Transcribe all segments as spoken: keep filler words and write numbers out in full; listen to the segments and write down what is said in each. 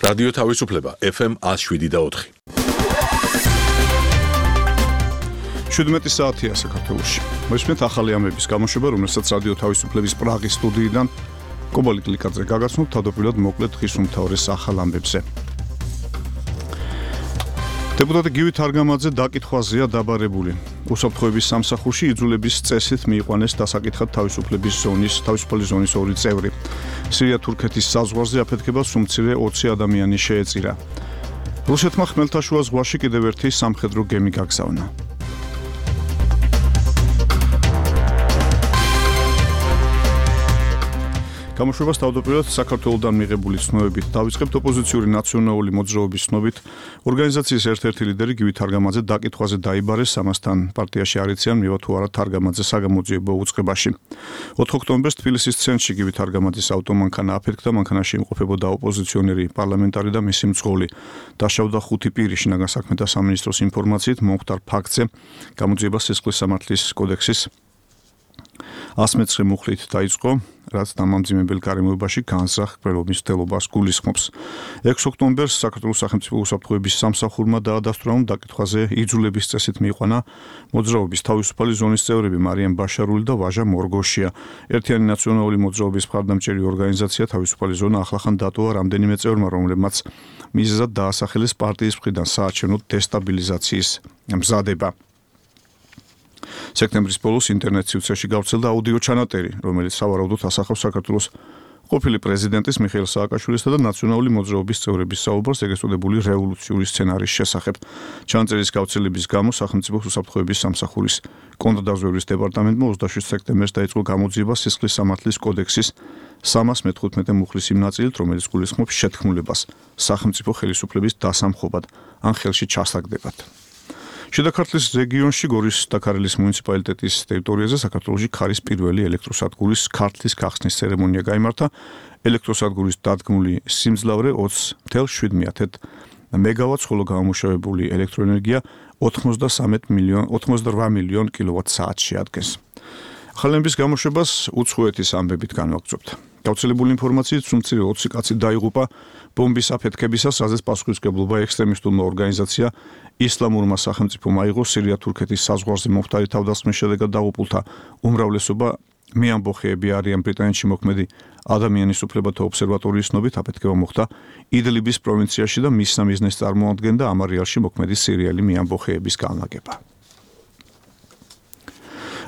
რადიო თავისუფლება ეფ ემ one oh seven და four. შვიდმეტი საათია საქართველოში. მოისმენთ ახალი ამბების გამოშვება, რომელსაც რადიო თავისუფლების პრაღის სტუდიიდან კობალი კლიკაძე გაგაცნობთ თავდაპირველად მოკლედ დღის უმთავრეს ახალ ამბებზე. დეპუტატი გივი თარგამაძე დაკითხვაზეა დაბარებული. უსაფრთხოების სამსახურში იძულების წესით მიიყვანეს დასაკითხად თავისუფლების ზონის, თავისუფალი ზონის ორი წევრი. სირია-თურქეთის საზღვარზე აფეთქება სუმცირე ოცი ადამიანი შეეწირა. რუსეთმა ხმელთაშუა ზღვაში კიდევ ერთი სამხედრო გემი გაგზავნა. გამოშვებას თავდაპირველად საქართველოდან მიღებული ცნობებით დავიწყებთ ოპოზიციური ნაციონალური მოძრაობის ცნობით. ორგანიზაციის ერთ-ერთი ლიდერი გივი თარგამაძე დაკითხვაზე დაიბარეს, ამასთან პარტიაში არ იციან მივა თუ არა თარგამაძე საგამოძიებო უწყებაში. ოთხ ოქტომბერს თბილისის ცენტრში გივი თარგამაძის ავტომანქანა აფეთქდა, მანქანაში იმყოფებოდა ოპოზიციონერი პარლამენტარი და მისი მძღოლი. დაშავდა ხუთი პირი. შინაგან საქმეთა სამინისტროს ინფორმაციით მომხდარ ფაქტზე გამოძიება სისხლის სამართლის კოდექსის one hundred მუხლით დაიწყო, რაც დამამძიმებელ გარემოებაში განზრახ კვლევის მცდელობას გულისხმობს. ექვსი ოქტომბერს საქართველოს სახელმწიფო უსაფრთხოების სამსახურმა დაადასტურა, რომ დაკითხვაზე იძულების წესით მიიყვანა მოძრაობის თავისუფალი ზონის წევრები მარიამ ბაშარული და ვაჟა მორგოშია. ერთიანი ნაციონალური მოძრაობის მხარდამჭერი ორგანიზაცია თავისუფალი ზონა ახლახან დატოვა რამდენიმე წევრმა, რომლებმაც მიზეზად დაასახელეს პარტიის მხრიდან საარჩევნო დესტაბილიზაციის მზადება. სექტემბრის ბოლოს ინტერნეტ სივრცეში გავრცელდა აუდიო ჩანაწერი, რომელიც სავარაუდოდ ასახავს საქართველოს ყოფილი პრეზიდენტის მიხეილ სააკაშვილისა და ნაციონალური მოძრაობის წევრების საუბარს ეგრეთ წოდებული რევოლუციური სცენარის შესახებ. ჩანაწერის გავრცელების გამო სახელმწიფო უსაფრთხოების სამსახურის კონტრდაზვერვის დეპარტამენტმა ოცდაშვიდ სექტემბერს დაიწყო გამოძიება სისხლის სამართლის კოდექსის სამას მეთხუთმეტე მუხლის იმ ნაწილით, რომელიც გულისხმობს შეთქმულებას სახელმწიფო ხელისუფლების დასამხობად ან ხელში ჩასაგდებად. შიდა ქართლის რეგიონში გორის და ქარელის მუნიციპალიტეტის ტერიტორიაზე საქართველოში ქარის პირველი ელექტროსადგურის ქართლის გახსნის ცერემონია გაიმართა. ელექტროსადგურის დადგმული სიმძლავრე ოცი ათეული შვიდ მეგავატს, ხოლო გამომუშავებული ელექტროენერგია ოცდაოთხ მილიონ კილოვატ-საათს შეადგენს. ახალების გამოშვებას უცხოეთის ამბებით განვაგრძობთ. გავრცელებული ინფორმაციით სუმცირე ოცი კაცი დაიღუპა ბომბის აფეთქებისას, რაზეც პასუხისმგებლობა ექსტრემისტულმა ორგანიზაცია ისლამურმა სახელმწიფომ აიღო. სირია-თურქეთის საზღვარზე მომხდარი თავდასხმის შედეგად დაღუპულთა უმრავლესობა მეამბოხეები არიან. ბრიტანეთში მოქმედი ადამიანის უფლებათა ობსერვატორიის ცნობით აფეთქება მოხდა იდლიბის პროვინციაში და მის სამიზნეს წარმოადგენდა ამ არეალში მოქმედი სირიელი მეამბოხეების განლაგება.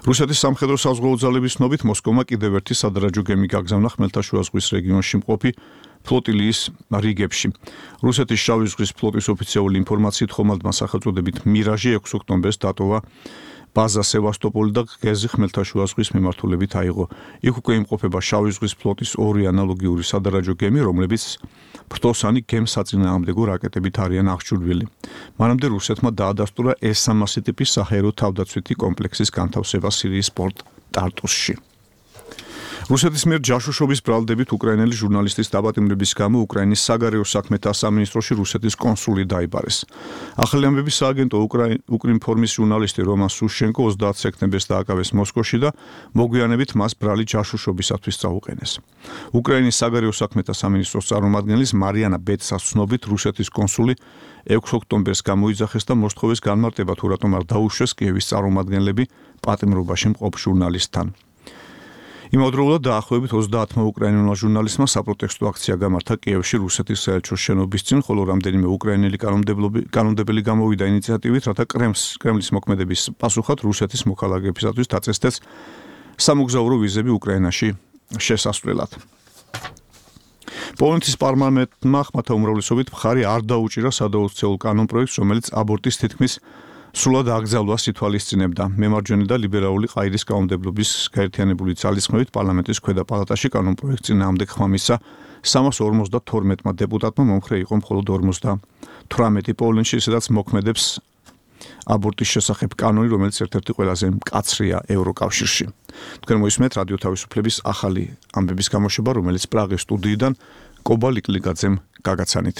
რუსეთის სამხედრო საზღვაო ძალების ცნობით მოსკოვმა კიდევ ერთი სადარაჯო გემი გაგზავნა ხმელთაშუა ზღვის რეგიონში მყოფი ფლოტილიის რიგებში. რუსეთის შავი ზღვის ფლოტის ოფიციალური ინფორმაციით ხომალდმა სახელწოდებით მირაჟი ექვსი ოქტომბერს დატოვა ბაზა სევასტოპოლი და გეზი ხმელთაშუა ზღვის მიმართულებით აიღო. იქ უკვე იმყოფება შავი ზღვის ფლოტის ორი ანალოგიური სადარაჯო გემი, რომლებიც ფრთოსანი გემსაწინააღმდეგო რაკეტებით არიან აღჭურვილი. მანამდე რუსეთმა დაადასტურა ეს სამასი ტიპის საჰაერო თავდაცვითი კომპლექსის განთავსება სირიის პორტ ტარტუსში. რუსეთის მიერ ჯაშუშობის ბრალდებით უკრაინელი ჟურნალისტის დაპატიმრების გამო უკრაინის საგარეო საქმეთა სამინისტროში რუსეთის კონსული დაიბარეს. ახალი ამბების სააგენტო უკრინფორმის ჟურნალისტი რომან სუშენკო ოცდაათი სექტემბერს დააკავეს მოსკოვში და მოგვიანებით მას ბრალი ჯაშუშობისათვის წაუყენეს. უკრაინის საგარეო საქმეთა სამინისტროს წარმომადგენლის მარიანა ბეცას ცნობით რუსეთის კონსული ექვსი ოქტომბერს გამოიძახეს და მოსთხოვეს განმარტება თუ რატომ არ დაუშვეს კიევის წარმომადგენლები პატიმრობაში მყოფ ჟურნალისტთან. იმავდროულად დაახლოებით ოცდაათმა უკრაინულმა ჟურნალისტმა საპროტესტო აქცია გამართა კიევში რუსეთის საელჩოს შენობის წინ, ხოლო რამდენიმე უკრაინელი კანონმდებელი გამოვიდა ინიციატივით, რათა კრემლის მოქმედების პასუხად რუსეთის მოქალაქეებისათვის დაწესდეს სამოგზაურო ვიზები უკრაინაში შესასვლელად. პოლონეთის პარლამენტმა ხმათა უმრავლესობით მხარი არ დაუჭირა სადაოქცეულ კანონპროექტს, რომელიც აბორტის თითქმის სრულად აკრძალვას ითვალისწინებდა. მემარჯვენე და ლიბერალური ყაიდის კანონმდებლობის გაერთიანებული ძალისხმევით პარლამენტის ქვედა პალატაში კანონპროექტს წინააღმდეგ ხმა მისცა სამას ორმოცდათორმეტმა დეპუტატმა, მომხრე იყო მხოლოდ ორმოცდათვრამეტი. პოლონეთში, სადაც მოქმედებს აბორტის შესახებ კანონი, რომელიც ერთ-ერთი ყველაზე მკაცრია ევროკავშირში. თქვენ მოისმენთ რადიო თავისუფლების ახალი ამბების გამოშვება, რომელიც პრაღის სტუდიიდან კობალი კლიკაძემ გაგაცანით.